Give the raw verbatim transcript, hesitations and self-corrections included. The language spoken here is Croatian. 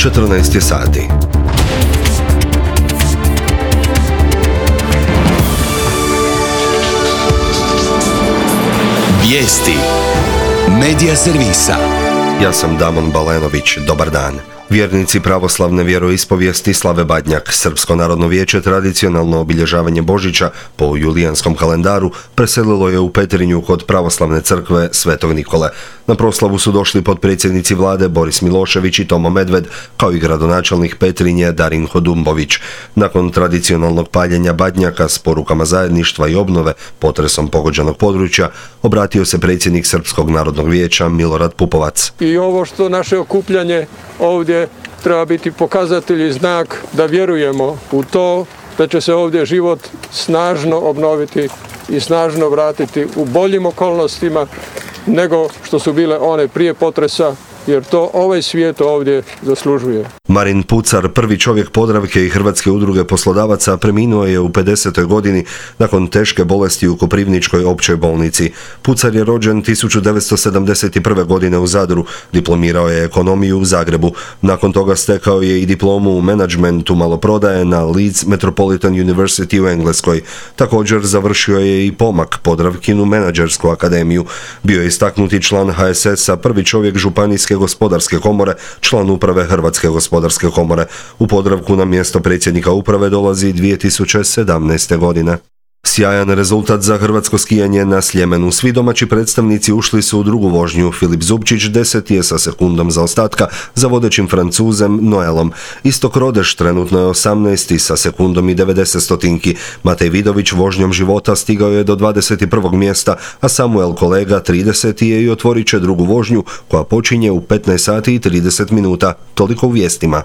četrnaest je sati. Vijesti Medija servisa. Ja sam Damon Balenović, dobar dan. Vjernici pravoslavne vjeroispovijesti slave Badnjak. Srpsko narodno vijeće tradicionalno obilježavanje Božića po julijanskom kalendaru preselilo je u Petrinju kod pravoslavne crkve Svetog Nikole. Na proslavu su došli potpredsjednici vlade Boris Milošević i Tomo Medved, kao i gradonačelnik Petrinje Darin Hodumbović. Nakon tradicionalnog paljenja Badnjaka s porukama zajedništva i obnove potresom pogođenog područja, obratio se predsjednik Srpskog narodnog vijeća Milorad Pupovac. I ovo što naše okupljanje ovdje treba biti pokazatelj i znak da vjerujemo u to da će se ovdje život snažno obnoviti i snažno vratiti u boljim okolnostima nego što su bile one prije potresa, jer to ovaj svijet ovdje zaslužuje. Marin Pucar, prvi čovjek Podravke i Hrvatske udruge poslodavaca, preminuo je u pedesetoj godini nakon teške bolesti u Koprivničkoj općoj bolnici. Pucar je rođen tisuću devetsto sedamdeset prve. godine u Zadru, diplomirao je ekonomiju u Zagrebu. Nakon toga stekao je i diplomu u menadžmentu maloprodaje na Leeds Metropolitan University u Engleskoj. Također završio je i pomak Podravkinu menadžersku akademiju. Bio je istaknuti član ha es es a, prvi čovjek Županijske gospodarske komore, član uprave Hrvatske gospodarske komore. U Podravku na mjesto predsjednika uprave dolazi dvije tisuće sedamnaeste. godine. Sjajan rezultat za hrvatsko skijanje na Sljemenu. Svi domaći predstavnici ušli su u drugu vožnju. Filip Zubčić deseti je sa sekundom zaostatka za vodećim Francuzem Noelom. Istok Rodeš trenutno je osamnaesti sa sekundom i devedeset stotinki. Matej Vidović vožnjom života stigao je do dvadeset prvog mjesta, a Samuel Kolega trideseti je i otvorit će drugu vožnju koja počinje u petnaest sati i trideset minuta. Toliko u vijestima.